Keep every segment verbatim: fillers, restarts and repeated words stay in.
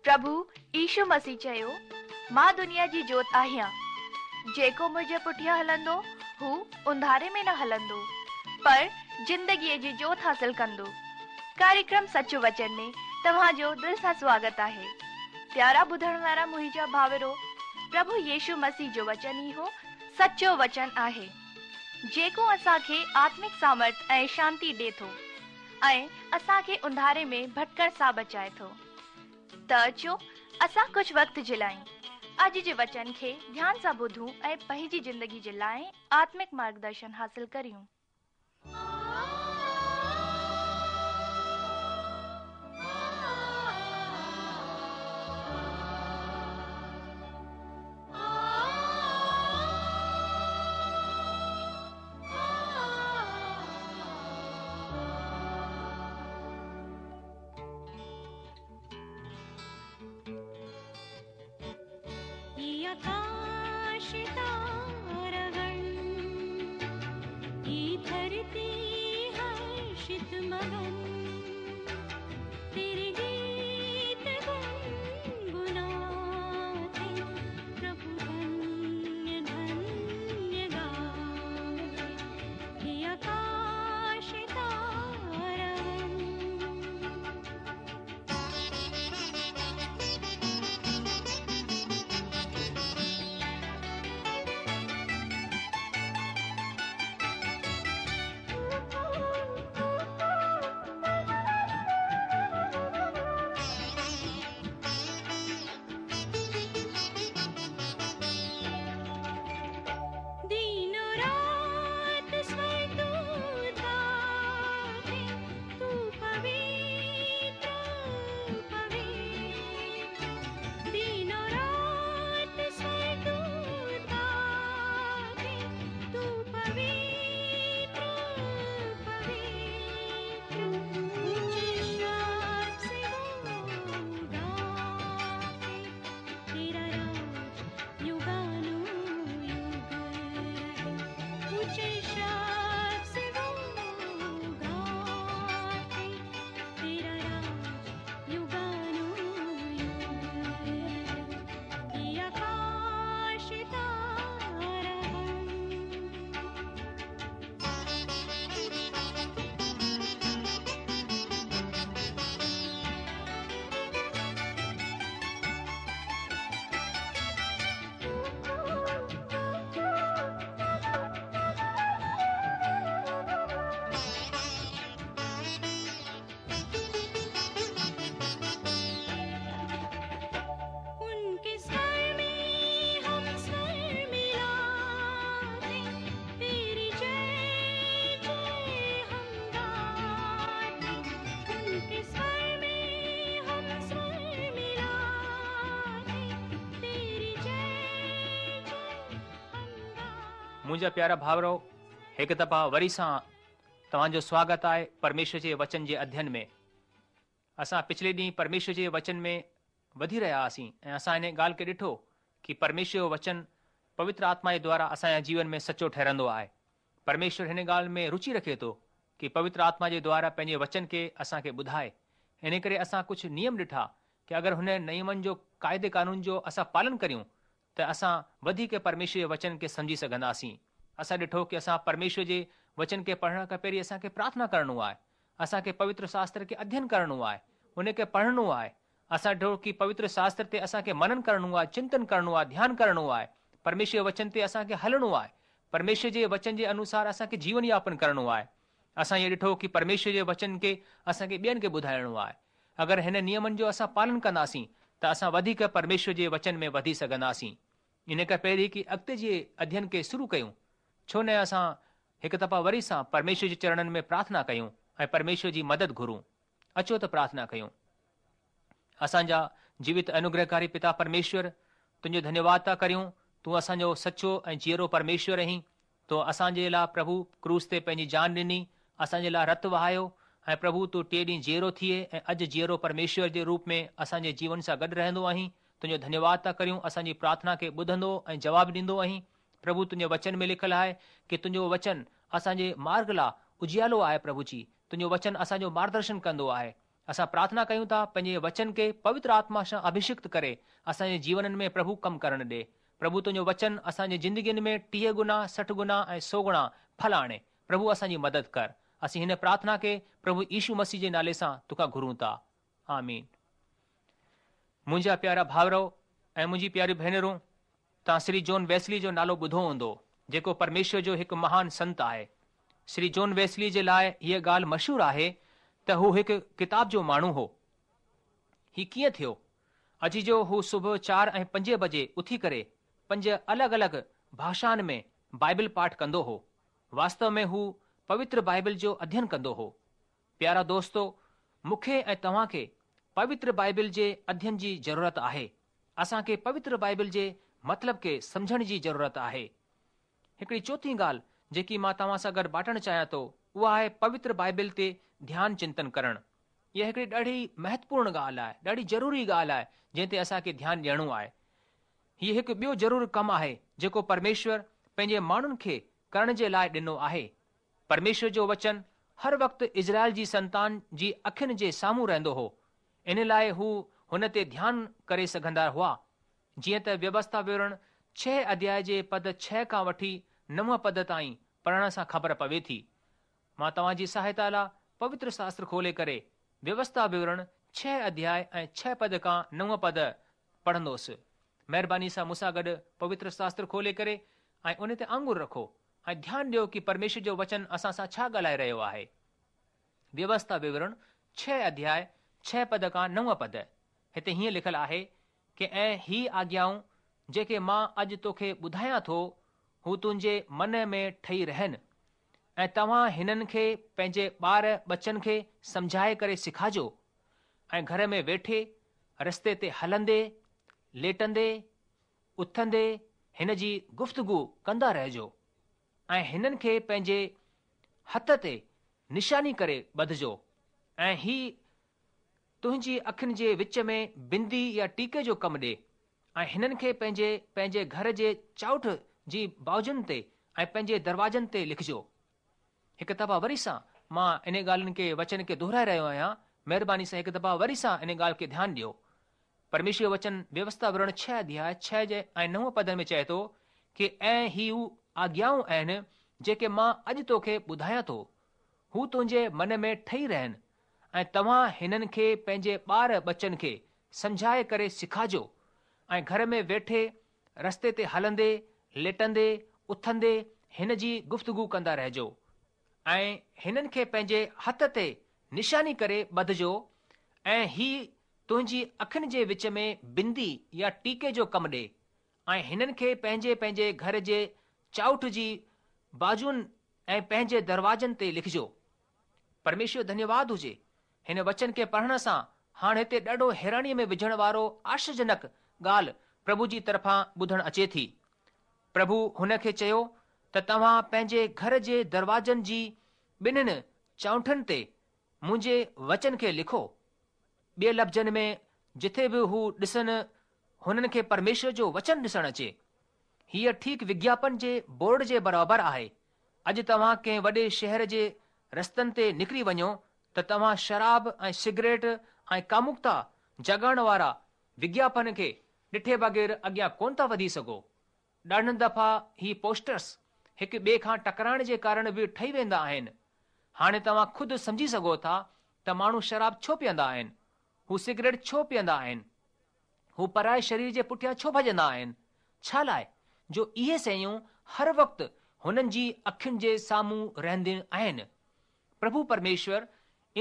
پرڀو يشو مسيح چيو، مان دنيا جي جوت آهيان. جيڪو منهنجي پٺيان هلندو، هو انڌاري ۾ نه هلندو، پر زندگيء جي جوت حاصل ڪندو. ڪاريڪرم سچ وچن ۾ توهان جو دل سان سواگت آهي. پيارا ٻڌڻ وارا منهنجا ڀائرو، پرڀو يشو مسيح جو وچن اهو سچو وچن آهي، جيڪو اسان کي آتمڪ سامرٿ ۽ شانتي ڏي ٿو ۽ اسان کي انڌاري ۾ ڀٽڪڻ سان بچائي ٿو. ته اچو اسان ڪجهه وقت جي لاءِ اڄ جي وچن کي ڌيان سان ٻڌون ۽ پنهنجي زندگي جي لاءِ آتمڪ مارگدرشن حاصل ڪريون. आकाश तारागण, ये धरती हर्षित मगन, तेरे गीत गुनगुनाते, प्रभु धन्य धन्य गाते, ये आकाश तारागण। दिनों रात स्वर तू गाते, तू पवित्र पवित्र। दिनों रात स्वर तू गाते, तू पवित्र पवित्र। ऊंचे शब्द से वो गाते, तेरा राज युगानुयुग रहे। ऊंचे शब्द से वो गाते, तेरा राज युगानुयुग रहे। ये आकाश तारागण। उनके स्वर में हम स्वर मिलाते, तेरी जय जय हम गाते। उनके स्वर में हम स्वर मिलाते, तेरी जय जय हम गाते। मुंहिंजा प्यारा भाइरो, हिकु दफ़ा वरी सां तव्हांजो स्वागत आहे परमेश्वर जे वचन जे अध्ययन में। असां पिछले ॾींहुं परमेश्वर जे वचन में वधी रहिया हुआसीं ऐं असां हिन ॻाल्हि खे ॾिठो की परमेश्वर जो वचन पवित्र आत्मा जे द्वारा असांजे जीवन में सचो ठहिरंदो आहे। परमेश्वर हिन ॻाल्हि में रुचि रखे थो की पवित्र आत्मा जे द्वारा पंहिंजे वचन खे असांखे ॿुधाए। इन करे असां कुझु नियम ॾिठा की अगरि हुन नियमनि जो क़ाइदे कानून जो असां पालन करियूं त असां वधीक परमेश्वर जे वचन खे सम्झी सघंदासीं। असां ॾिठो की असां परमेश्वर जे वचन खे पढ़ण खां पहिरीं असांखे प्रार्थना करिणो आहे, असांखे पवित्र शास्त्र खे अध्ययन करिणो आहे, उनखे पढ़णो आहे। असां ॾिठो की पवित्र शास्त्र ते असांखे मनन करिणो आहे, चिंतन करिणो आहे, ध्यानु करिणो आहे, परमेश्वर जे वचन ते असांखे हलणो आहे, परमेश्वर जे वचन जे अनुसार असांखे जीवन यापन करिणो आहे। असां इहो ॾिठो की परमेश्वर जे वचन खे असांखे ॿियनि खे ॿुधाइणो आहे। अगरि हिन नियमनि जो असां पालन कंदासीं त असां वधीक परमेश्वर जे वचन में वधी सघंदासीं। इन खां पहिरीं की अॻिते जे अध्ययन खे शुरू कयूं, छो न असां हिकु दफ़ा वरी सां परमेश्वर जे चरणनि में प्रार्थना कयूं ऐं परमेश्वर जी मदद घुरूं। अचो त प्रार्थना कयूं। असांजा जीवित अनुग्रहकारी पिता परमेश्वर, तुंहिंजो धन्यवाद था करियूं। तूं असांजो सचो ऐं जीअरो परमेश्वर आहीं। तो असांजे लाइ प्रभु क्रूस ते पंहिंजी जान ॾिनी, असांजे लाइ रत वहायो ऐं प्रभु तूं टे ॾींहुं जीअरो थिए ऐं अॼु जीअरो परमेश्वर जे रूप में असांजे जीवन सां गॾु रहंदो आहीं। तुंहिंजो धन्यवाद था करियूं। असांजी प्रार्थना खे ॿुधंदो ऐं जवाबु ॾींदो आहीं। प्रभु तुंहिंजे वचन में लिखियलु आहे की तुंहिंजो वचन असांजे मार्ग लाइ उजियालो आहे। प्रभु जी, तुंहिंजो वचन असांजो मार्गदर्शन कंदो आहे। اسان پرارٿنا ڪيون ٿا پنهنجي وچن کي پوتر آتما سان اڀشڪت ڪري اسان جي جيونن ۾ پرڀو ڪم ڪرڻ ڏي. پرڀو تنهنجو وچن اسان جي زندگين ۾ ٽيهه گنا، سٺ گنا ۽ سؤ گڻا ڦل آڻي. پرڀو اسان جي مدد ڪر. اسين هن پرارٿنا کي پرڀو يشو مسيح جي نالي سان توکان گهرون ٿا. آمين. منهنجا پيارا ڀائرو ۽ منهنجي پياريون ڀينرون، توهان شري جون ويسلي جو نالو ٻڌو هوندو، جيڪو پرميشور جو هڪ مهان سنت آهي. شري جون ويسلي جي لاء هيء ڳالهه مشهور آهي ته هو هڪ ڪتاب جو ماڻهو هو. هي ڪيئن ٿيو؟ عزيزو هو صبح چار ۽ پنجين بجي اٿي ڪري پنج الڳ الڳ ڀاشائن ۾ بائبل پاٺ ڪندو هو. واستو ۾ هو پوتر بائبل جو اڌين ڪندو هو. پيارا دوستو، مون کي ۽ توهان کي پوتر بائبل جي اڌين جي ضرورت آهي. اسان کي پوتر بائبل جي مطلب کي سمجهڻ جي ضرورت آهي. هڪڙي چوٿين ڳالهه جيڪي مان توهان سان گڏ بانٽڻ چاهيان ٿو، اها آهي پوتر بائبل تي ڌيان چنتن ڪرڻ. اها هڪڙي ڏاڍي مهتوپورڻ ڳالهه آهي، ڏاڍي ضروري ڳالهه آهي جنهن تي اسان کي ڌيان ڏيڻو آهي. هيء هڪ ٻيو ضرور ڪم آهي جيڪو پرميشور پنهنجي ماڻهن کي ڪرڻ جي لاء ڏنو آهي. پرميشور جو وچن هر وقت اسرائيل جي سنتان جي اکين جي سامهون رهندو هو، ان لاء هو هن تي ڌيان ڪري سگهندا هئا. جيئن ته ويوسٿا وورڻ ڇهه اڌياء جي پد ڇهه کان وٺي نو پد تائين پڙهڻ سان خبر پوي ٿي. مان توهان جي سهائتا لاء پوتر شاستر کولي ڪري ويوسٿا وورڻ ڇهه اڌياء ۽ ڇهه پد کان نو پد پڙهندوس. مهرباني سان مون سان گڏ پوتر شاستر کولي ڪري ۽ ان تي آڱر رکو ۽ ڌيان ڏيو ڪي پرميشور جو وچن اسان سان ڇا ڳالهائي رهيو آهي. ويوسٿا وورڻ ڇهه اڌياء ڇهه پد کان نو پد هتي هيئن لکيل آهي ڪي ۽ هي آگيائون جيڪي مان اڄ توکي ٻڌايان ٿو، هو تنهنجي من ۾ ٺهي رهن ۽ توهان هنن کي پنهنجي ٻار ٻچن کي سمجهائي ڪري سکاجو ۽ گهر ۾ ويٺي، رستي تي هلندي، ليٽندي، اٿندي هن جي گفتگو ڪندا رهجو ۽ هنن کي پنهنجي هٿ تي نشاني ڪري ٻڌجو ۽ هي تنهنجي اکين جي وچ ۾ بندي يا ٽيڪي جو ڪم ڏي ۽ هنن کي پنهنجي پنهنجي گهر جي چائنٺ جي بازن تي ۽ پنهنجي دروازن تي لکجو. هڪ دفعا وري سان مان ان ڳالهين کي وچن کي دهرائي رهيو آهيان، مهرباني سان هڪ دفعا وري سان ان ڳالهه کي ڌيان ڏيو. پرميشور جو وچن ويوسٿا وورڻ ڇهه اڌياء ڇهه جي ۽ نو پدن ۾ چئي ٿو ڪي ۽ هي هو آگيائون آهن جيڪي مان اڄ توکي ٻڌايان ٿو، هو تنهنجي من ۾ ٺهي رهن ۽ توهان هنن کي پنهنجي ٻار ٻچن کي سمجهائي ڪري سکاجو ۽ گهر ۾ ويٺي، رستي تي هلندي، ليٽندي، اٿندي هن جي گفتگو ڪندا رهجو ۽ هنن کي پنهنجي هٿ تي نشاني ڪري ٻڌجو ۽ هي تنهنجي اکين جي وچ ۾ بندي يا ٽيڪي جو ڪم ڏي ۽ هنن کي پنهنجي پنهنجي گهر جي چائنٺ جي بازن ۽ پنهنجي دروازن تي لکجو. پرميشور ڌنيواد هجي. هن وچن کي پڙهڻ سان هاڻ هتي ڏاڍو حيرانيء ۾ وجهڻ وارو آشچريجنڪ ڳالهه پرڀو جي طرفان ٻڌڻ اچي ٿي. پرڀو هن کي چيو ته توهان پنهنجي گهر جي دروازن جي ٻنهين چائنٺن تي منهنجي وچن کي لکو. ٻئي لفظن ۾ جٿي به هو ڏسن هنن کي پرميشور جو وچن ڏسڻ اچي. هيء ٺيڪ وگياپن جي بورڊ جي برابر آهي. اڄ توهان ڪنهن وڏي شهر جي رستن تي نڪري وڃو ته توهان شراب ۽ سگريٽ ۽ ڪاموڪتا جاڳائڻ وارا وگياپن کي ڏٺي بغير اڳيان ڪونه ٿا وڌي سگهو. ڏاڍن دفعا هي پوسٽرس هڪ ٻئي کان ٽڪرائڻ جي ڪارڻ به ٺهي ويندا آهن. هاڻي توهان خود سمجهي سگهو ٿا ته ماڻهو شراب ڇو پيئندا آهن، هو سگريٽ ڇو پيئندا آهن، هو پرائي شرير جي پٺيان ڇو ڀڄندا آهن، ڇا لاء جو اهي شيون هر وقت هنن جي اکين جي سامهون رهنديون آهن. پرڀو پرميشور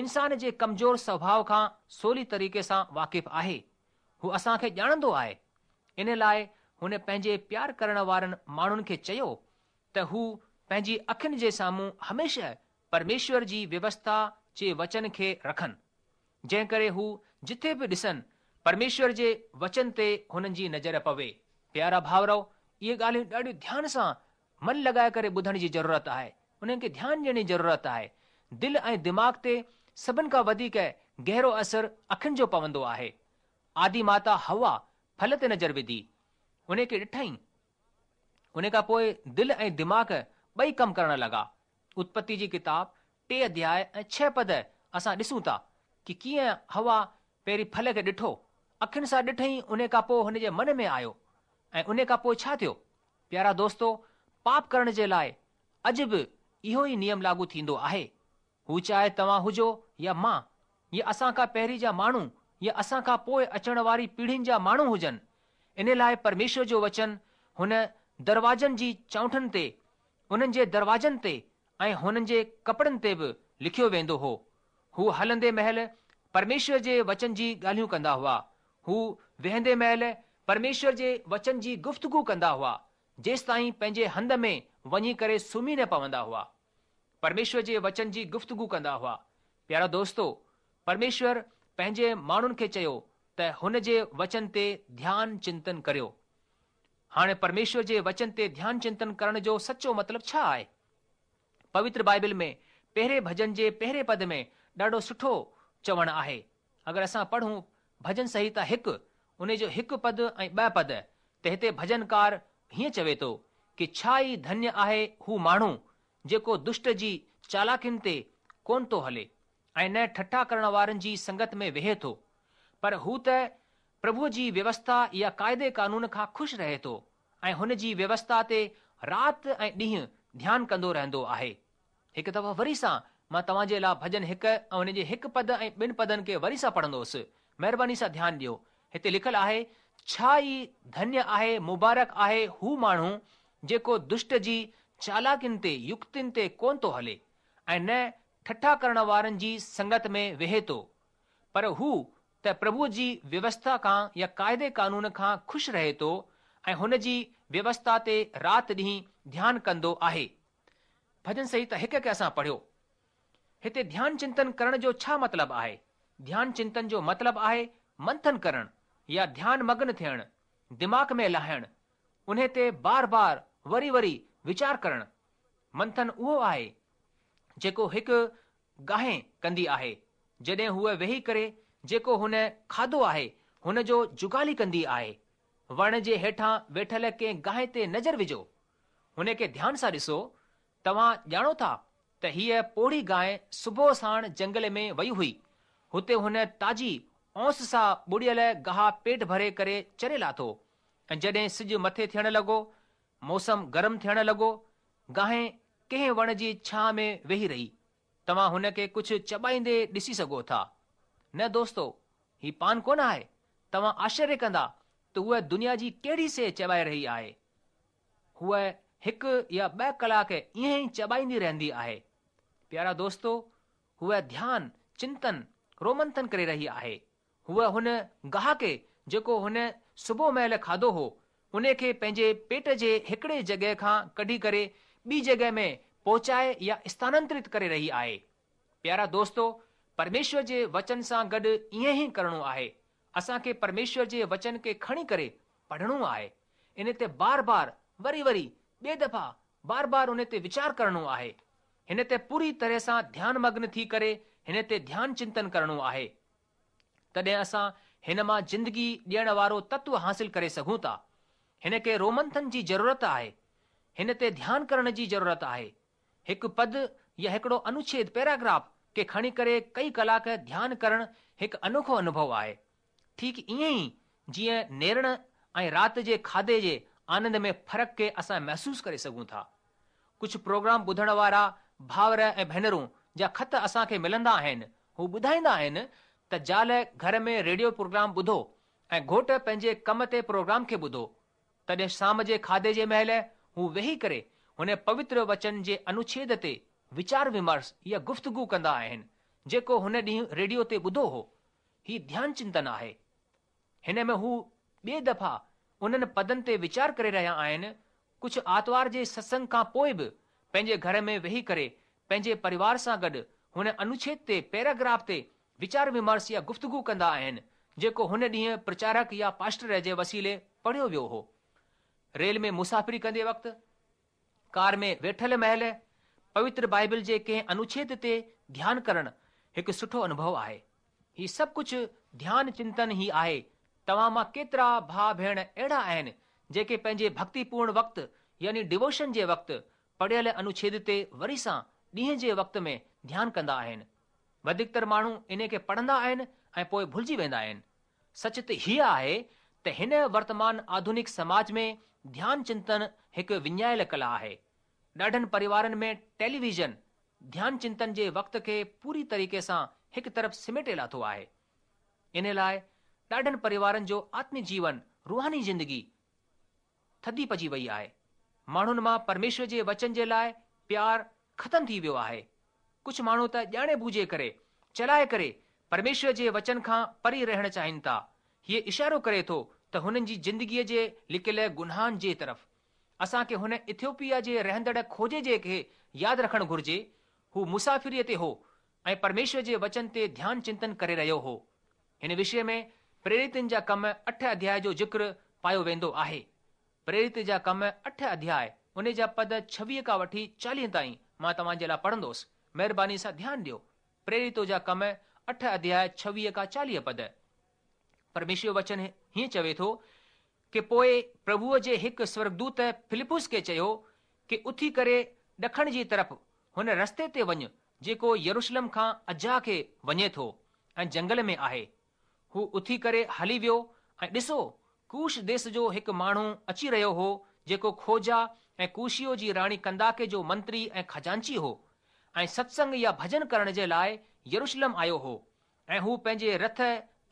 انسان جي ڪمزور سوڀاء کان سولي طريقي سان واقف آهي. هو اسان کي ڄاڻندو آهي. ان لاء هن پنهنجي پيار ڪرڻ وارن ماڻهن کي چيو ته هو پنهنجي اکين جي سامهون هميشه پرميشور جي ويوسٿا جي وچن کي رکن، جنهن ڪري هو جٿي به ڏسن پرميشور جي وچن تي هنن جي نظر پوي. پيارا ڀائرؤ، اهي ڳالهيون ڏاڍيون ڌيان سان من لڳائي ڪري ٻڌڻ جي ضرورت آهي، انهن کي ڌيان ڏيڻ جي ضرورت آهي. دل ۽ دماغ تي سڀن کان وڌيڪ گهرو اثر اکين جو پوندو آهي. آدي ماتا حوا ڦل تي نظر وڌي، ان کي ڏٺائين. ان کان پوء دل ۽ دماغ ٻئي ڪم ڪرڻ لڳا. اتپتي جي ڪتاب ٽي اڌياء ۽ ڇهه پد اسان ڏسون ٿا ڪي ڪيئن حوا پهرين ڦل کي ڏٺو، اکين سان ڏٺئي ان کان پوء هن جي من ۾ آيو ۽ ان کان پوء ڇا ٿيو؟ پيارا دوستو، پاپ ڪرڻ جي لاء اڄ به اهو ئي نيم لاڳو ٿيندو آهي. هو چاهي توهان هجو يا مان، يا اسان کان پهرين جا ماڻهو يا اسان کان پوء اچڻ واري پيڙهين جا ماڻهو هجن. ان لاء پرميشور جو وچن هن دروازن جي چونٺن تي، انهن جي دروازن تي ۽ هنن جي ڪپڙن تي به لکيو ويندو هو. هو هلندي مهل پرميشور جي وچن جي ڳالهيون ڪندا هئا. هو ويهندي مهل پرميشور جي وچن جي گفتگو ڪندا هئا، جيستائين پنهنجي هنڌ ۾ وڃي ڪري سمهي نه پوندا هئا. پرميشور جي وچن جي گفتگو ڪندا هئا. پيارا دوستو، پرميشور پنهنجي ماڻهن کي چيو ته هن جي وچن تي ڌيان چنتن ڪريو. هاڻي پرميشور جي وچن تي ڌيان چنتن ڪرڻ جو سچو مطلب ڇا آهي؟ پوتر بائبل ۾ پهرين ڀڄن جي پهرين پد ۾ ڏاڍو سٺو چوڻ آهي. اگر اسان پڙهون ڀڄن سنهتا هڪ، ان جو هڪ پد ۽ ٻه پد، ته هتي ڀڄنڪار هيئن چوي ٿو ڪي ڇا ئي ڌنيه آهي هو ماڻهو جيڪو دشٽ جي چالاڪين تي ڪونه ٿو هلي ۽ نه ٺٺا ڪرڻ وارن جي سنگت ۾ ويهي ٿو، پر هو ته پرڀوء جي ويوسٿا يا قاعدي قانون کان خوش رهي ٿو ۽ هن جي ويوسٿا تي رات ۽ ڏينهن ڌيان ڪندو رهندو آهي. هڪ دفعو وري سان مان توهان جي لاء ڀڄن هڪ ۽ هن جي هڪ پد ۽ ٻن پدن کي وري سان پڙهندوس. مهرباني سان ڌيان ڏيو. هتي لکيل آهي، ڇا ئي ڌنيه آهي، مبارڪ آهي هو ماڻهو جيڪو دشٽ جي چالاڪين تي، يڪتين تي ڪونه ٿو هلي ۽ نه ٺٺا ڪرڻ وارن جي سنگت ۾ ويهي ٿو، پر هو ته پرڀوء جي ويوسٿا کان يا قاعدي قانون کان خوش رهي ٿو ۽ هن جي ويوسٿا تي رات ڏينهن ڌيان ڪندو آهي. ڀڄن سنهتا هڪ کي اسان پڙهيو. هتي ڌيان چنتن ڪرڻ جو ڇا مطلب آهي؟ ڌيان چنتن جو مطلب آهي منٿن ڪرڻ يا ڌيان مگن ٿيڻ، دماغ ۾ لاهڻ، انهي تي بار بار وري وري ويچار ڪرڻ. منٿن اهو آهي جيڪو هڪ گانء ڪندي آهي، جڏهن هوء ويهي ڪري جيڪو هن کاڌو آهي هن جو جگالي ڪندي آهي. وڻ جي هيٺان ويٺل ڪنهن گانء تي نظر وجهو، هن کي ڌيان سان ڏسو. توهان ڄاڻو ٿا ته هيء پوڙهي گانء صبح ساڻ جنگل ۾ وئي هئي. هتي هن تازي اونس سان ٻوڙيل گاهه پيٽ ڀري ڪري چري لاٿو ۽ جڏهن سج مٿي ٿيڻ لڳو، موسم گرم ٿيڻ لڳو، گانء ڪنهن وڻ جي ڇانهه ۾ ويهي رهي. توهان هن کي ڪجهه چٻائيندي ڏسي سگهو ٿا. نه دوستو، هي پان ڪونه آهي. توهان آشچريه ڪندا ته هوء دنيا جي ڪهڙي شيء چٻائي رهي آهي. هوء هڪ يا ٻه ڪلاڪ ائين ئي چٻائيندي رهندي آهي. پيارا دوستو، هوء ڌيان، چنتن، رومنٿن ڪري رهي آهي. هوء هن گاهه کي جيڪو هن صبح مهل کاڌو هو، ان کي پنهنجي پيٽ جي هڪڙي جڳهه کان ڪڍي ڪري ٻي جڳهه ۾ پهچائي يا اسٿانانترت ڪري رهي آهي. پيارا دوستو، پرميشور جي وچن سان گڏ ائين ئي ڪرڻو آهي. اسان کي پرميشور جي وچن کي کڻي ڪري پڙهڻو آهي. ان تي بار بار، وري وري، ٻئي دفعا بار بار ان تي ويچار ڪرڻو آهي. هن تي پوري طرح سان ڌيان مگن ٿي ڪري هن تي ڌيان چنتن ڪرڻو آهي. تڏهن اسان هن مان زندگي ڏيڻ وارو تتو حاصل ڪري سگهون ٿا. هن کي رومنٿن جي ضرورت آهي. هن تي ڌيان ڪرڻ جي ضرورت آهي. هڪ پد يا هڪڙو انوڇيد پيراگراف کي کڻي ڪري ڪئي ڪلاڪ ڌيان ڪرڻ هڪ انوکو انوڀو آهي. ٺيڪ ائين ئي جيئن نيرڻ ۽ رات جي کاڌي جي آنند ۾ فرق کي اسان محسوس ڪري سگهون ٿا. ڪجهه پروگرام ٻڌڻ وارا ڀائر ۽ ڀينرون جا خط اسان کي ملندا آهن، هو ٻڌائيندا آهن ته زال گهر ۾ ريڊيو پروگرام ٻڌو ۽ گهوٽ پنهنجي ڪم تي پروگرام کي ٻڌو. تڏهن شام جي کاڌي جي مهل هو ويهي ڪري هن پوتر وچن جي انوڇيد تي ويچار ومرش يا گفتگو ڪندا آهن، جيڪو هن ڏينهن ريڊيو تي ٻڌو هو. هي ڌيان چنتن آهي. هن ۾ هو ٻئي دفعا انهن پدن تي ويچار ڪري رهيا آهن. ڪجهه آتوار جي ستسنگ کان پوءِ به پنهنجي گهر ۾ ويهي ڪري پنهنجي پريوار سان گڏ هن انوڇيد تي پيراگراف تي ويچار ومرش يا گفتگو ڪندا آهن، جيڪو هن ڏينهن پرچارڪ يا پاسٽر جي وسيلي پڙهيو ويو هو. ريل ۾ مسافري ڪندي وقت، ڪار ۾ ويٺل مهل پوتر بائبل جي ڪنهن انوڇيد تي ڌيان ڪرڻ هڪ سٺو انوڀو آهي. هي سڀ ڪجهه ڌيان چنتن ئي آهي. توهان مان ڪيترا ڀاء ڀيڻ اهڙا آهن جيڪي پنهنجي ڀڳتيپورڻ وقت يعني ڊووشن جي وقت پڙهيل انوڇيد تي وري سان ڏينهن جي وقت ۾ ڌيان ڪندا آهن. وڌيڪتر ماڻهو انهي کي پڙهندا آهن ۽ پوءِ ڀلجي ويندا آهن. سچ ته هيء آهي ته هن ورتمان آڌونڪ سماج ۾ ڌيان چنتن هڪ وڃايل ڪلا آهي. ڏاڍن پريوارن ۾ ٽيليويزن ڌيان چنتن جي وقت کي پوري طريقي سان هڪ طرف سميٽي لاٿو آهي. ان لاءِ ڏاڍن پريوارن جو آتمڪ جيون، روحاني زندگي ٿڌي پئجي وئي آهي. ماڻهن مان پرميشور جي وچن جي لاءِ پيار ختم ٿي ويو آهي. ڪجهه ماڻهو ته ڄاڻي ٻجهي ڪري، چلائي ڪري پرميشور جي وچن کان پري رهڻ چاهين ٿا. هيءَ اشارو ڪري ٿو ته هنن جي زندگيءَ جي لڪيل گناهن جي طرف. اسان کي هن ايٿيوپيا جي رهندڙ کوجي جي کي ياد رکڻ گهرجي. هو مسافريءَ تي هو ۽ پرميشور جي وچن تي ڌيان چنتن ڪري رهيو هو. هن وشي ۾ پريرتن جا ڪم اٺ اڌياءِ جو ذڪر پايو ويندو آهي. پريرت جا ڪم اٺ اڌياءِ ان جا پد ڇويهه کان وٺي چاليهه تائين مان توهان جي لاءِ پڙهندس. مهرباني سان ڌيان ڏيو. پريرتو جا ڪم اٺ اڌياءِ ڇويهه کان چاليهه پد. پرميشور وچن هيئن چوي ٿو ڪه پوءِ پرڀوءَ جي هڪ سورڳدوت فلپس کي چيو ڪه اٿي ڪري ڏکڻ جي طرف هن رستي تي وڃ جيڪو يروشلم کان عزه کي وڃي ٿو ۽ جنگل ۾ آهي. هو اٿي ڪري هلي ويو ۽ ڏسو ڪوش ديس جو هڪ ماڻهو اچي رهيو هو جيڪو کوجا ۽ ڪوشيو جي راڻي ڪنداڪي جو منتري ۽ خزانچي هو ۽ ستسنگ يا ڀڄن ڪرڻ جي لاءِ يروشلم آيو هو ۽ هو پنهنجي رٿ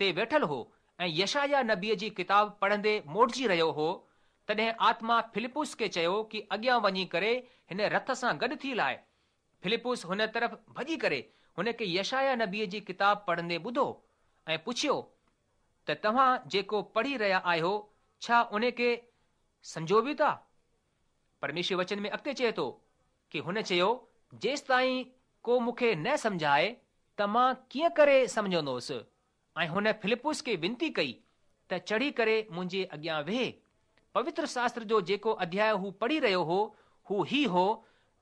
تي ويٺل هو ۽ يشايا نبيءَ جي ڪتاب پڙهندي موٽجي رهيو هو. تڏهن آتما فلپس کي چيو ڪه اڳيان وڃي ڪري هن رٿ سان گڏ ٿي لاءِ. فلپس هن طرف ڀڄي ڪري هن کي يشايا نبيءَ جي ڪتاب پڙهندي ٻڌو ۽ پڇيو ته توهان جيڪو پڙهي رهيا آهيو ڇا ان کي سمجهو به ٿا؟ پرميشور وچن ۾ اڳتي چئي ٿو ڪه هن چيو جيستائين ڪو مون کي نه سمجهائي ته مان ڪيئن ڪري سمجهندس؟ ۽ هن فلپس کي وينتي ڪئي ته چڙهي ڪري منهنجي اڳيان ويهه. پوتر شاستر جو جيڪو اڌياءِ هو پڙهي رهيو هو هو هي هو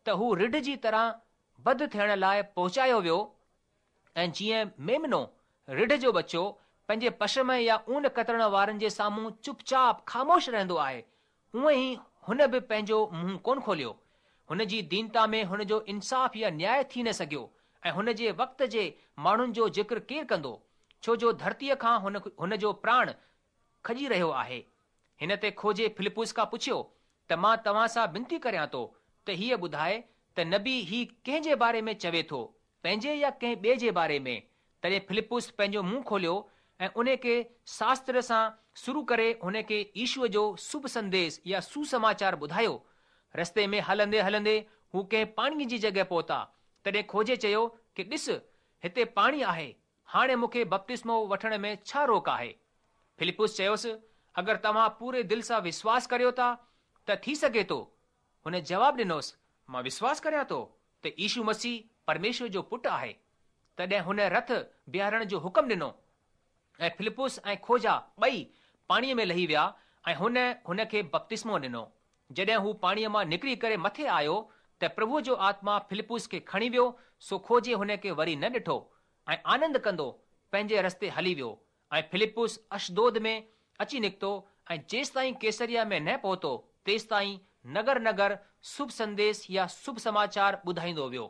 ته هو رڍ جي طرح وڌ ٿيڻ لاءِ پهچايو ويو ۽ جيئن ميمنو رڍ جو ٻچو پنهنجي پشم يا اون ڪترڻ وارن جي سامهون چپ چاپ خاموش رهندو آهي، اونئن ئي هن به پنهنجو منهن ڪونه کوليو. هن جي دينتا ۾ هن جو انصاف يا نياءِ ٿي نه سگهيو ۽ هن جي وقت جي ماڻهن جو ذڪر ڪير ڪندو؟ ڇو جو ڌرتيءَ کان هن هن جو پراڻ کڄي رهيو آهي. هن تي کوجي فلپس کان پڇيو ته مان توهان سان وينتي ڪريان ٿو ته هيءَ ٻڌائي ته نبي هي ڪنهن جي باري ۾ چوي ٿو، پنهنجي يا ڪنهن ٻئي جي باري ۾؟ تڏهن فلپس پنهنجو منهن کوليو ۽ ان کي شاستر سان شروع ڪري هن کي يشوءَ جو شڀ سنديش يا سسماچار ٻڌايو. رستي ۾ هلندي هلندي هو ڪنهن پاڻيءَ جي جڳهه پهتا. تڏهن کوجي چيو ڪه ڏس هتي پاڻي آهي، هاڻي مون کي بپتسمو وٺڻ ۾ ڇا روڪ آهي؟ فلپس چيوس اگر توهان پوري دل سان وشواس ڪريو ٿا ته ٿي سگهي ٿو. هن جواب ڏنوس مان وشواس ڪريان ٿو ته يشو مسيح پرميشور جو پٽ آهي. تڏهن هن رٿ بيهارڻ جو حڪم ڏنو ۽ فلپس ۽ کوجا ٻئي پاڻيءَ ۾ لهي ويا ۽ هن هن کي بپتسمو ڏنو. جڏهن هو پاڻيءَ مان نڪري ڪري مٿي آيو ته پرڀوءَ جو آتما فلپس کي کڻي ويو، سو کوجي هن کي وري نه ڏٺو ۽ آنند ڪندو پنهنجي رستي هلي ويو. ۽ فلپس اشدود ۾ اچي نڪتو ۽ جيستائين ڪيسريا ۾ نه پهتو تيستائين نگر نگر شڀ سنديش يا شڀ سماچار ٻڌائيندو ويو.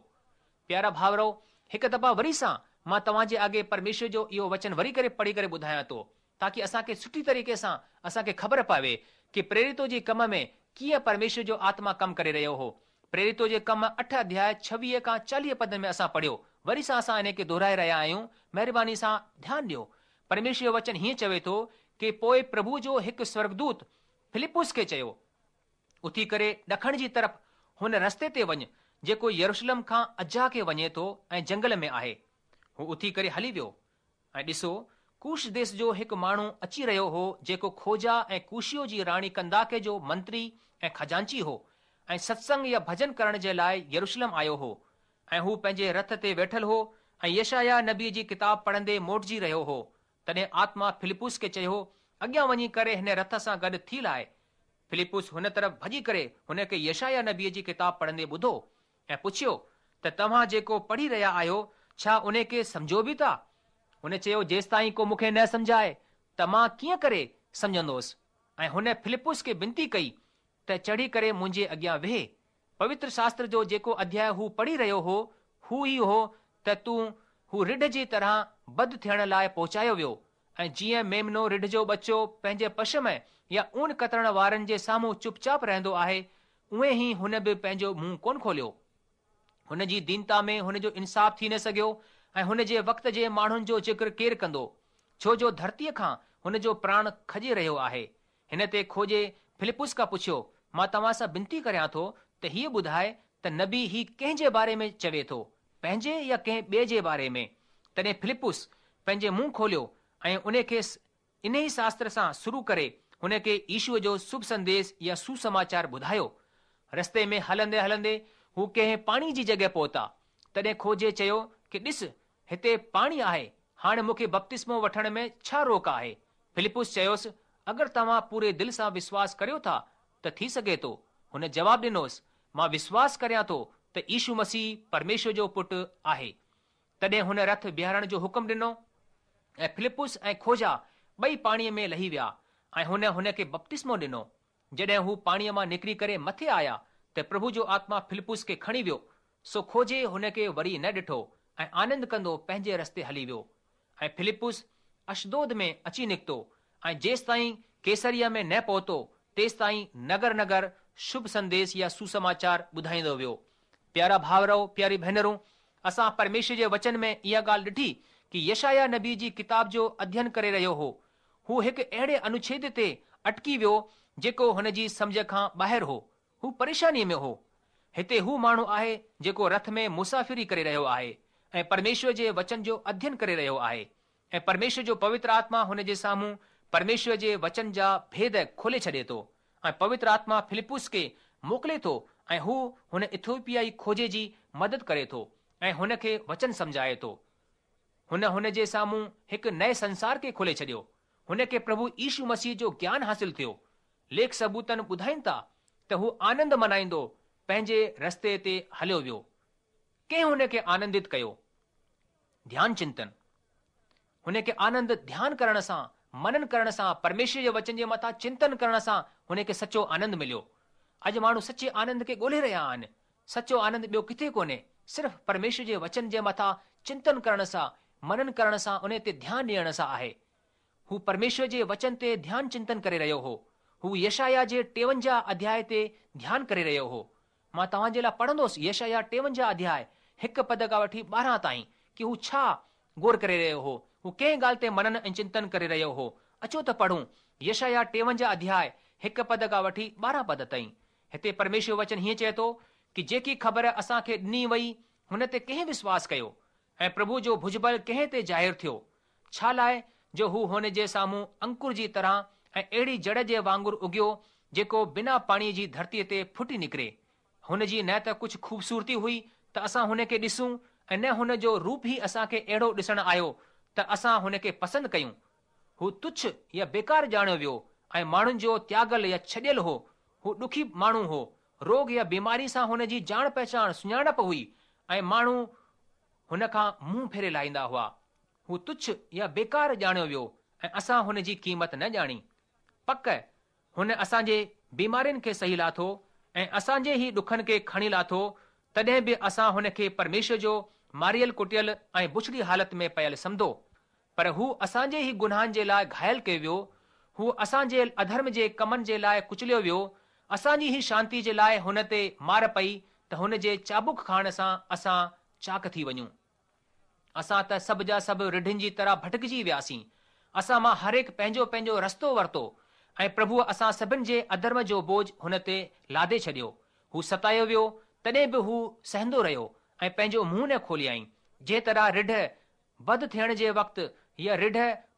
پيارا ڀائرو، هڪ دفعا وري سان مان توهان جي اڳي پرميشور جو اهو وچن وري ڪري پڙهي ڪري ٻڌايان ٿو تاڪه اسان کي سٺي طريقي سان اسان کي خبر پوي ڪه پريرتو جي ڪم ۾ ڪيئن پرميشور جو آتما ڪم ڪري رهيو هو. پريرتو جي ڪم اٺ اڌياءِ ڇويهه کان چاليهه پد ۾ اسان پڙهيو. وري سان اسان ان کي دهرائي رهيا آهيون. مهرباني سان ڌيان ڏيو. پرميشور جو وچن هيئن چوي ٿو ڪه پوءِ پرڀو جو هڪ سورڳدوت فلپس کي چيو اٿي ڪري ڏکڻ جي طرف هن رستي تي وڃ جيڪو يروشلم کان عزه کي وڃي ٿو ۽ جنگل ۾ آهي. هو اٿي ڪري هلي ويو ۽ ڏسو ڪوش ديس جو هڪ ماڻهو اچي رهيو هو جيڪو کوجا ۽ ڪوشيو جي راڻي ڪنداڪي جو منتري ۽ خزانچي هو ۽ ستسنگ يا ڀڄن ڪرڻ جي لاءِ يروشلم آيو هو ۽ هو پنهنجي رٿ تي ويٺل هو ۽ يشايا نبيءَ جي ڪتاب پڙهندي موٽجي رهيو هو. تڏهن آتما فلپس کي چيو اڳيان وڃي ڪري هن رٿ سان گڏ ٿي لاءِ. فلپس هن طرف ڀڄي ڪري هن کي يشايا نبيءَ جي ڪتاب پڙهندي ٻڌو ۽ پڇيو ته توهان جيڪو پڙهي رهيا آهيو ڇا ان کي سمجهو به ٿا؟ هن چيو جيستائين ڪو مون کي نه سمجهائي ته مان ڪيئن ڪري سمجهندس؟ ۽ هن فلپس کي وينتي ڪئي ته چڙهي ڪري منهنجي اڳيان ويهه. پوتر شاستر جو جيڪو اڌياءِ هو پڙهي رهيو هو هو ئي هو ته تون هو رڍ جي طرح وڌ ٿيڻ لاءِ پهچايو ويو ۽ جيئن ميمنو رڍ جو ٻچو پنهنجي پشم يا اون ڪترڻ وارن جي سامهون چپ چاپ رهندو آهي، اونئن ئي هن به پنهنجو منهن ڪونه کوليو. هن جي دينتا ۾ هن جو انصاف ٿي نه سگهيو ۽ هن جي وقت جي ماڻهن جو ذڪر ڪير ڪندو، ڇو جو ڌرتيءَ کان هن جو پراڻ کڄي رهيو آهي. هن تي کوجي فلپس کان پڇيو، مان توهان سان بنتي ڪريان ٿو ته هيءَ ٻڌائي ته نبي هي ڪنهن جي باري ۾ چوي ٿو، پنهنجي يا ڪنهن ٻئي جي باري ۾؟ تڏهن فلپس پنهنجي منهن کوليو ۽ ان کي انهي شاستر سان شروع ڪري هن کي يشوءَ جو شڀ سنديش يا سوسماچار ٻڌايو. رستي ۾ هلندي هلندي هو ڪنهن پاڻي جي جڳهه پهتا. تڏهن کوجي چيو ڪه ڏس، هتي پاڻي آهي، هاڻي مون کي بپتسمو وٺڻ ۾ ڇا روڪ آهي؟ فلپس چيوس، اگر توهان پوري دل سان وشواس ڪريو ٿا ته ٿي سگهي ٿو. هن جواب ڏنوس، مان وشواس ڪريان ٿو ته يشو مسيح پرميشور جو پٽ آهي. تڏهن هن رٿ بيهارڻ جو حڪم ڏنو ۽ فلپس ۽ کوجا ٻئي پاڻيءَ ۾ لهي ويا ۽ هن هن کي بپتسمو ڏنو. جڏهن هو پاڻيءَ مان نڪري ڪري مٿي آيا ته پرڀو جو آتما فلپس کي کڻي ويو، سو کوجي هن کي وري نه ڏٺو ۽ آنند ڪندو پنهنجي رستي هلي ويو. ۽ فلپس اشدود ۾ اچي نڪتو ۽ جيستائين قيصريه ۾ نه پهتو تيستائين نگر نگر شڀ سنديش يا سوسماچار ٻڌائيندو ويو. پيارا ڀائرو، پياري ڀينرون، اسان پرميشور جي وچن ۾ اها ڳالهه ڏٺي ڪه يشايا نبي جي ڪتاب جو اڌين ڪري رهيو هو. هو هڪ اهڙي انوڇيد تي اٽڪي ويو جيڪو هن جي سمجهه کان ٻاهر هو. هو پريشانيءَ ۾ هو. هتي هو ماڻهو آهي جيڪو رٿ ۾ مسافري ڪري رهيو آهي ۽ پرميشور جي وچن جو اڌين ڪري رهيو آهي ۽ پرميشور جو پوتر آتما هن جي سامهون پرميشور جي وچن جا ڀيد کولي ڇڏي ٿو ۽ پوتر آتما فلپس کي موڪلي ٿو ۽ هو هن ايٿوپيائي کوجي جي مدد ڪري ٿو ۽ هن کي وچن سمجهائي ٿو. هن هن جي سامهون هڪ نئين سنسار کي کولي ڇڏيو. هن کي پرڀو يشو مسيح جو گيان حاصل ٿيو. ليک ثبوتن ٻڌائين ٿا ته هو آنند منائيندو پنهنجي رستي تي هليو ويو. ڪنهن هن کي آنندت ڪيو؟ ڌيان چنتن. هن کي آنند ڌيان ڪرڻ سان، منن ڪرڻ سان، پرميشور جي وچن جي مٿان چنتن ڪرڻ سان هن کي سچو آنند مليو. اڄ ماڻهو سچي آنند کي ڳولهي رهيا آهن. سچو آنند ٻيو ڪٿي ڪونهي، صرف پرميشور جي وچن جي مٿان چنتن ڪرڻ سان، منن ڪرڻ سان، ان تي ڌيان ڏيڻ سان آهي. هو پرميشور جي وچن تي ڌيان چنتن ڪري رهيو هو. هو يشايا جي ٽيونجاهه اڌياءِ تي ڌيان ڪري رهيو هو. مان توهان جي لاءِ پڙهندس يشايا ٽيونجاهه اڌياءِ هڪ پد کان وٺي ٻارهن تائين ڪه هو ڇا غور ڪري رهيو هو، هو ڪنهن ڳالهه تي منن ۽ چنتن ڪري رهيو هو. اچو ته پڙهون يشايا ٽيونجاهه اڌياءِ هڪ پد کان وٺي ٻارهن پد تائين. هتي پرميشور وچن هيئن چئي ٿو ڪه جيڪي خبر اسان کي ڏني وئي هن تي ڪنهن وشواس ڪيو ۽ پرڀو جو ڀجبل ڪنهن تي ظاهر ٿيو؟ ڇا لاءِ جو هو هن جي سامهون انڪر جي طرح ۽ اهڙي جڙ جي وانگر اگيو جيڪو بنا پاڻيءَ جي ڌرتيءَ تي ڦٽي نڪري. هن جي نه ته ڪجهه خوبصورتي هئي ته اسان هن کي ڏسون ۽ نه هن جو روپ ئي اسان کي اهڙو ڏسڻ آيو ته اسان هن کي پسند ڪيون. هو تڇ يا بيڪار ڄاڻيو ويو ۽ ماڻهن جو تياڳل يا ڇڏيل هو. هو ڏکي ماڻهو هو. روڳ يا بيماري سان هن جي ڄاڻ پهچان سڃاڻپ هئي ۽ ماڻهو هن کان منهن ڦيري لاهيندا هئا. هو تڇ يا بيڪار ڄاڻيو ويو ۽ اسان هن جي قيمت نه ڄاڻي. پڪ هن اسان جي بيمارين کي سهي لاٿو ۽ اسان جي ئي ڏکن کي کڻي لاٿو، تڏهن به اسان هن کي پرميشور جو ماريل ڪٽيل ۽ بڇڙي حالت ۾ پيل سمجهو. پر هو اسان جي ئي گناهن جي لاءِ گهايل ڪيو ويو، هو اسان جي اڌرم جي ڪمن جي لاءِ ڪچليو ويو. اسان جي ئي شانتي جي لاءِ هن تي مار پئي ته هن جي چابڪ کائڻ سان اسان چاڪ ٿي وڃون. اسان ته سڀ جا سڀ رڍن جي طرح ڀٽڪجي وياسين. اسان مان هر هڪ پنهنجو پنهنجو رستو ورتو ۽ پرڀوءَ اسان سڀني جي اڌرم جو بوجهه هن تي لادي ڇڏيو. هو ستايو ويو تڏهن به هو سهندو رهيو ۽ پنهنجو منهن نه کوليائين. جنهن طرح رڍ وڌ ٿيڻ جي وقت يا رڍ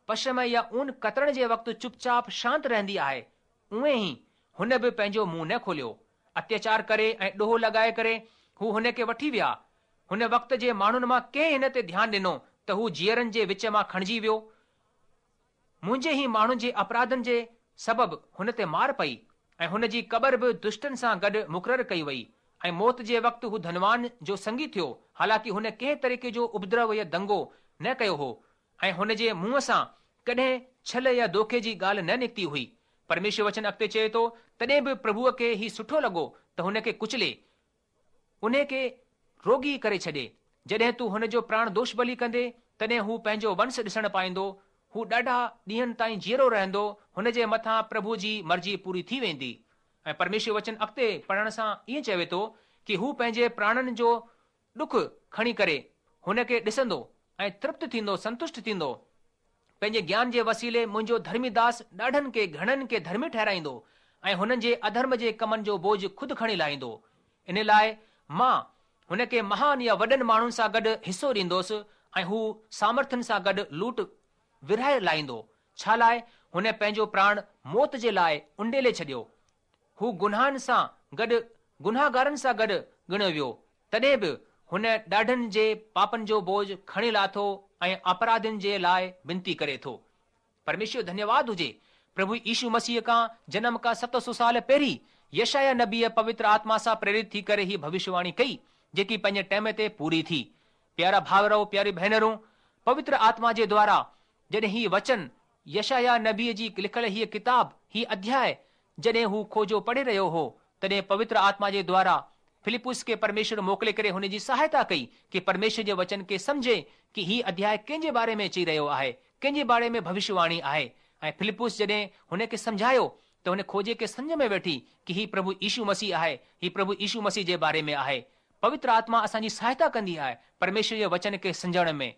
پشم يا اون ڪترڻ جي وقت چپچاپ شانت رهندي آهي، اونئن ئي هن به پنهنجو منهن نه کوليو. اتياچار ڪري ۽ ڏوهه لڳائي ڪري هو هن کي وٺي ويا. هن وقت جي ماڻهن مان ڪنهن هن تي ڌيان ڏنو ته هو جيئرن جي وچ مان کڻجي ويو. منهنجي ئي ماڻهن جي اپراڌن جي سبب هن تي مار پئي ۽ هن جي قبر به دشٽن سان گڏ مقرر ڪئي وئي ۽ موت جي وقت هو ڌنوان جو سنگي ٿيو، حالانڪه هن ڪنهن طريقي جو اپدرو يا دنگو نه ڪيو هو ۽ هن جي منهن سان ڪڏهن ڇل يا دوکي جي ڳالهه نه نڪتي هئي. پرميشور وچن اڳتي چئي ٿو، تڏهن به پرڀوءَ کي هي سٺو لڳو ته هن کي ڪچلي، ان کي روڳي ڪري ڇڏي. جڏهن تون هن جو پراڻ دوش بلي ڪندي، تڏهن هو پنهنجو ونش ڏسڻ پائيندو. هو ڏاڍا ڏينهن تائين جيئرو رهندو، هن جي مٿان پرڀو جي مرضي پوري ٿي ويندي. ۽ پرميشور وچن اڳتي پڙهڻ سان ائين چوي ٿو ڪه هو پنهنجي پراڻن جو ڏک کڻي ڪري هن کي ڏسندو ۽ ترپت ٿيندو، سنتشٽ ٿيندو. پنهنجي گيان جي وسيلي منهنجو ڌرمي داس ڏاڍن کي گهڻن کي ڌرمي ٺهرائيندو ۽ هنن جي اڌرم جي ڪمن جو بوجهه خود کڻي لاهيندو. ان لاءِ مان هن کي مهان يا وڏن ماڻهن سان گڏ حصو ڏيندوس ۽ هو سامرٿين سان گڏ لوٽ ورهائي لاهيندو. ڇا لاءِ هن پنهنجو پراڻ موت جي لاءِ اونڊيلي ڇڏيو. هو گناهن سان گڏ گناهگارن سان گڏ ڳڻيو ويو، تڏهن به هن ڏاڍن جي پاپن جو بوجهه کڻي لاٿو ۽ اپراڌين جي لاءِ وينتي ڪري ٿو. پرميشور ڌنيواد هجي. پرڀو يشو مسيح کان جنم کان ست سؤ سال پهرين يشايا نبيءَ پوتر آتما سان پريرت ٿي ڪري هي ڀوشيواڻي ڪئي، جيڪي پنهنجي ٽائيم تي پوري ٿي. پيارا ڀائرو، پياري ڀينرون، پوتر آتما جي دوارا جڏهن هي وچن يشايا نبيءَ جي لکيل هيءَ ڪتاب، هي اڌياءِ جڏهن هو کوجو پڙهي رهيو هو، تڏهن پوتر آتما جي دوارا فلپس کي پرميشور موڪلي ڪري هن جي سهائتا ڪئي ڪه پرميشور جي وچن کي سمجهي ڪه هي اڌياءِ ڪنهن جي باري ۾ چئي رهيو آهي، ڪنهن جي باري ۾ ڀوشيواڻي آهي. ۽ فلپس جڏهن هن کي سمجهايو ته هن کوجي کي سمجهه ۾ ويٺي ڪه هي پرڀو يشو مسيح آهي، هي پرڀو يشو مسيح جي باري ۾ آهي. پوتر آتما اسان جي سهائتا ڪندي آهي پرميشور جي وچن کي سمجهڻ ۾.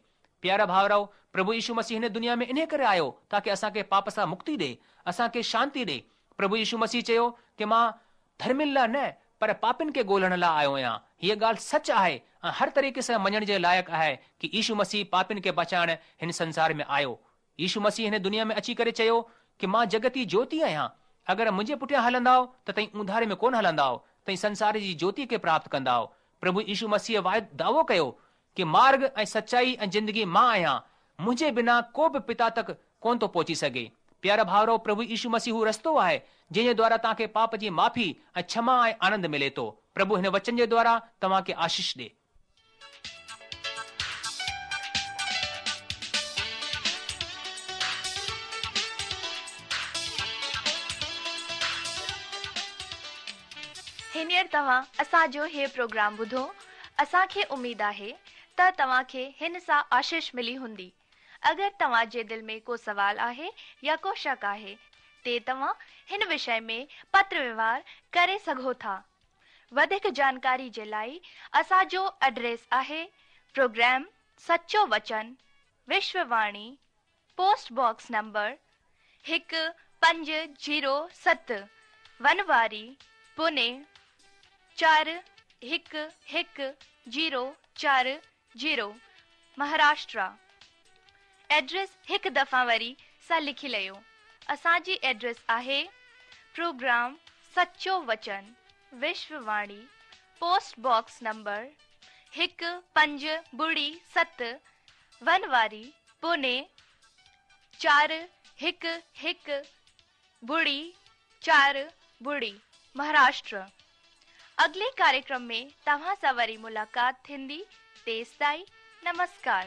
پيارا ڀائرو، پرڀو يشو مسيح هن دنيا ۾ انهي ڪري آيو تاڪه اسان کي پاپ سان مڪتي ڏئي، اسان کي شانتي ڏئي. پرڀو يشو مسيح چيو ڪه مان ڌرمين لاءِ نه پر پاپين کي ڳولهڻ لاءِ آيو آهيان. هيءَ ڳالهه سچ آهي ۽ هر طريقي سان مڃڻ جي لائق آهي ڪه يشو مسيح پاپين کي بچائڻ هن سنسار ۾ آيو. يشو مسيح هن دنيا ۾ اچي ڪري چيو ڪه مان جڳت جي جيوتي آهيان، اگر منهنجي پٺيان هلندؤ ته توهين اونڌاري ۾ ڪونه هلندؤ، توهين سنسار جي جيوتي کي پراپت ڪندؤ. پرڀو يشو مسيح واعدو دعوو ڪيو ڪه مارگ ۽ سچائي ۽ زندگي مان آهيان، منهنجي بنا ڪو به پتا تڪ ڪونه ٿو پهچي سگهي. پيارا ڀائرو، پرڀو يشو مسيح هو رستو آهي جنهن جي دوارا توهان کي پاپ جي معافي ۽ ڪشما ۽ آنند ملي ٿو. پرڀو هن وچن جي دوارا توهان کي آشيش ڏي. هينئر توهان اسان جو هي پروگرام ٻڌو. اسان کي اميد آهي ته توهان کي هن سان آشيش ملي هوندي. اگر توهان جي دل ۾ ڪو سوال آهي يا ڪو شڪ آهي تي توهان هن وشي ۾ پتر ويوهار ڪري سگهو ٿا. وڌيڪ جانڪاري جي لاءِ اسان جو ايڊريس آهي پروگرام سچو وچن، وشوواڻي، پوسٽ باڪس نمبر هڪ پنج زيرو ست، ونواري، پوني چار هڪ هڪ زيرو چار زيرو، مهاراشٽر. ايڊريس هڪ دفعا وري سان لکي ليو. اسان جي ايڊريس آهي پروگرام سچو وچن، وشوواڻي، پوسٽ باڪس نمبر هڪ پنج ٻڙي ست، ونواري، پوني چار هڪ هڪ ٻڙي چار ٻڙي، مهاراشٽر. اڳلي ڪاريڪرم ۾ توهان سان وري ملاقات ٿيندي. تيستائين نمسڪار.